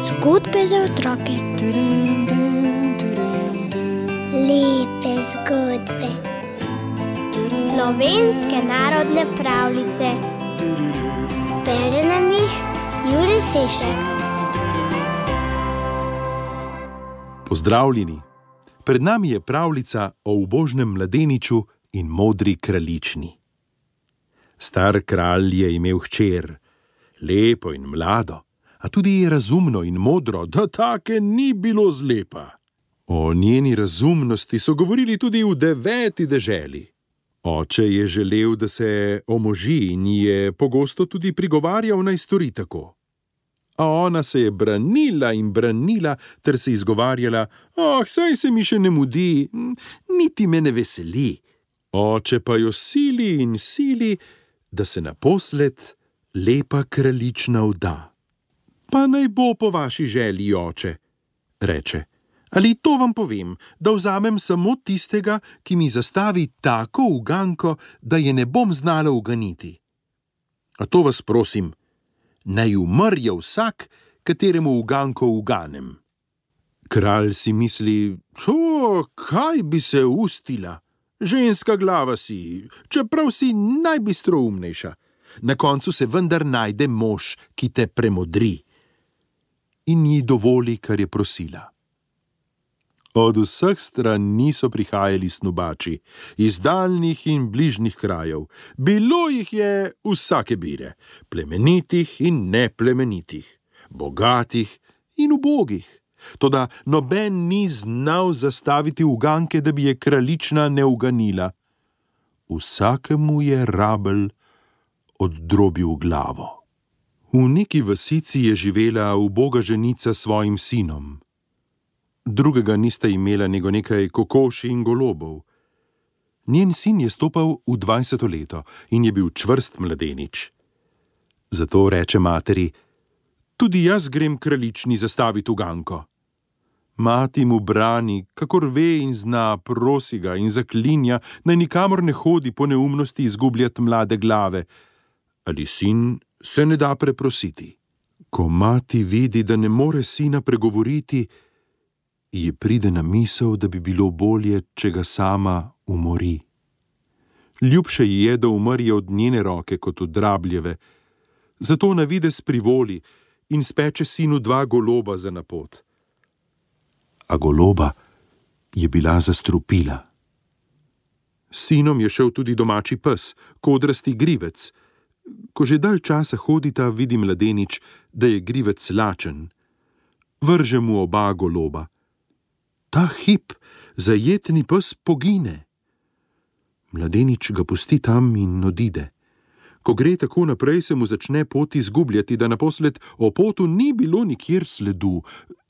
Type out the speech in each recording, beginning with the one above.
Zgodbe za otroke. Lepe zgodbe. Slovenske narodne pravljice. Bere nam jih Jure Sešek. Pozdravljeni! Pred nami je pravljica o ubožnem mladeniču in modri kraljični. Star kralj je imel hčer, lepo in mlado, a tudi razumno in modro, da take ni bilo zlepa. O njeni razumnosti so govorili tudi v 9. deželi. Oče je želel, da se omoži in je pogosto tudi prigovarjal, naj stori tako. A ona se je branila in branila ter se izgovarjala: saj se mi še ne mudi, niti me ne veseli. Oče pa jo sili in sili, da se naposled lepa kraljična vda. Pa naj bo po vaši želji, oče, reče. Ali to vam povem, da vzamem samo tistega, ki mi zastavi tako uganko, da je ne bom znala uganiti. A to vas prosim, naj umrje vsak, kateremu uganko uganem. Kralj si misli: kaj bi se ustila? Ženska glava si, čeprav si najbistroumnejša. Na koncu se vendar najde mož, ki te premodri. In ji dovoli, kar je prosila. Od vseh strani so prihajali snubači, iz daljnih in bližnjih krajev. Bilo jih je vsake bire, plemenitih in neplemenitih, bogatih in ubogih. Toda noben ni znal zastaviti uganke, da bi je kraljična ne uganila. Vsakemu je rabelj oddrobil glavo. V neki vasici je živela uboga ženica s svojim sinom. Drugega nista imela nego nekaj kokoši in golobov. Njen sin je stopal v 20. leto in je bil čvrst mladenič. Zato reče materi: tudi jaz grem kraljični zastaviti uganko. Mati mu brani, kakor ve in zna, prosi ga in zaklinja, naj nikamor ne hodi po neumnosti izgubljati mlade glave. Ali sin se ne da preprositi. Ko mati vidi, da ne more sina pregovoriti, ji pride na misel, da bi bilo bolje, če ga sama umori. Ljubše ji je, da umrje od njene roke kot od rabljeve. Zato na videz privoli in speče sinu 2 goloba za na pot. A goloba je bila zastrupila. S sinom je šel tudi domači pes, kodrasti grivec. Ko že dalj časa hodita, vidi mladenič, da je grivec lačen. Vrže mu oba goloba. Ta hip zajetni pes pogine. Mladenič ga pusti tam in odide. Ko gre tako naprej, se mu začne pot izgubljati, da naposled o potu ni bilo nikjer sledu,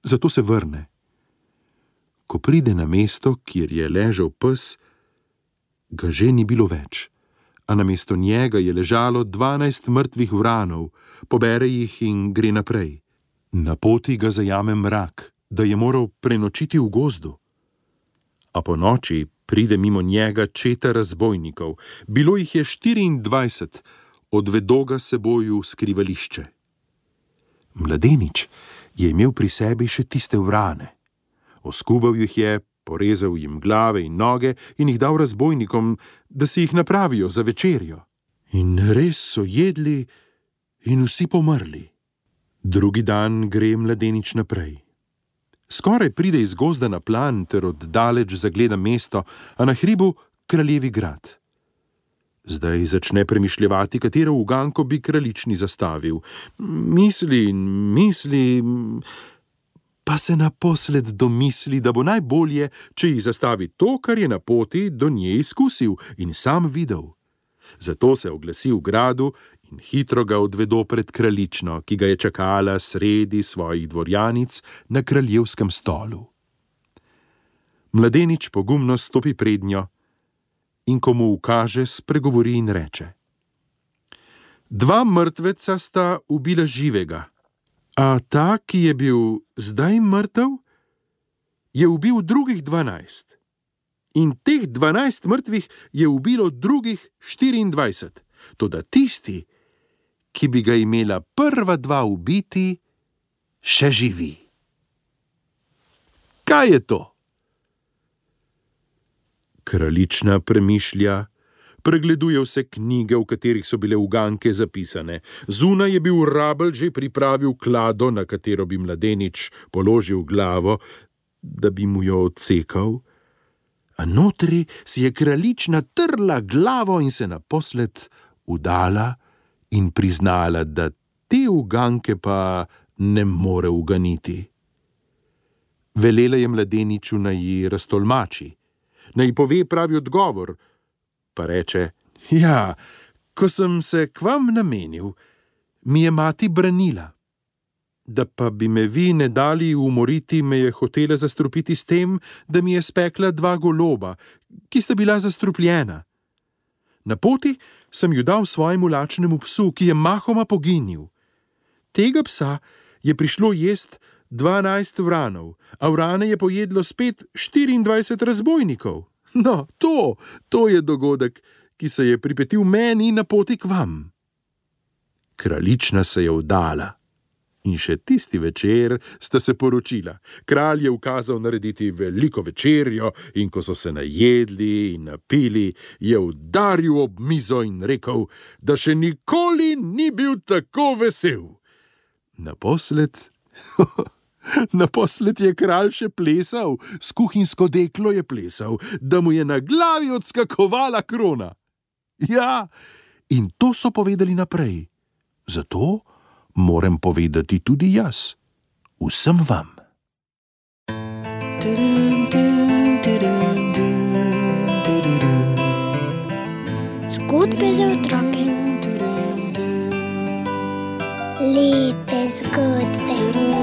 zato se vrne. Ko pride na mesto, kjer je ležal pes, ga že ni bilo več, a namesto njega je ležalo 12 mrtvih vranov, pobere jih in gre naprej. Na poti ga zajame mrak, da je moral prenočiti v gozdu. A po noči pride mimo njega četa razbojnikov. Bilo jih je 24, odvedo ga seboj v skrivališče. Mladenič je imel pri sebi še tiste vrane. Oskubal jih je, porezal jim glave in noge in jih dal razbojnikom, da si jih napravijo za večerjo. In res so jedli in vsi pomrli. Drugi dan gre mladenič naprej. Skoraj pride iz gozda na plan ter oddaleč zagleda mesto, a na hribu kraljevi grad. Zdaj začne premišljevati, katero uganko bi kraljični zastavil. Misli in misli, pa se naposled domisli, da bo najbolje, če jih zastavi to, kar je na poti do nje izkusil in sam videl. Zato se oglasi v gradu in hitro ga odvedo pred kraljično, ki ga je čakala sredi svojih dvorjanic na kraljevskem stolu. Mladenič pogumno stopi prednjo in ko mu ukaže, spregovori in reče: 2 mrtveca sta ubila živega, a ta, ki je bil zdaj mrtev, je ubil drugih 12. In teh 12 mrtvih je ubilo drugih 24. Toda tisti, ki bi ga imela prva dva ubiti, še živi. Kaj je to? Kraljična premišlja, pregleduje vse knjige, v katerih so bile uganke zapisane. Zunaj je bil Rabelj že pripravil klado, na katero bi mladenič položil glavo, da bi mu jo odsekal, a notri si je kraljična trla glavo in se naposled udala in priznala, da te uganke pa ne more uganiti. Velela je mladeniču, naj ji raztolmači, naj ji pove pravi odgovor, pa reče: ja, ko sem se k vam namenil, mi je mati branila. Da pa bi me vi ne dali umoriti, me je hotela zastrupiti s tem, da mi je spekla dva goloba, ki sta bila zastrupljena. Na poti sem ju dal svojemu lačnemu psu, ki je mahoma poginil. Tega psa je prišlo jest 12 vranov, a vrane je pojedlo spet 24 razbojnikov. No, to je dogodek, ki se je pripetil meni na poti k vam. Kraljična se je vdala in še tisti večer sta se poročila. Kralj je ukazal narediti veliko večerjo in ko so se najedli in napili, je udaril ob mizo in rekel, da še nikoli ni bil tako vesel. Naposled je kralj še plesal, s kuhinjsko deklo je plesal, da mu je na glavi odskakovala krona. Ja, in to so povedali naprej. Zato moram povedati tudi jaz, vsem vam. Zgodbe za otroke. Lepe zgodbe.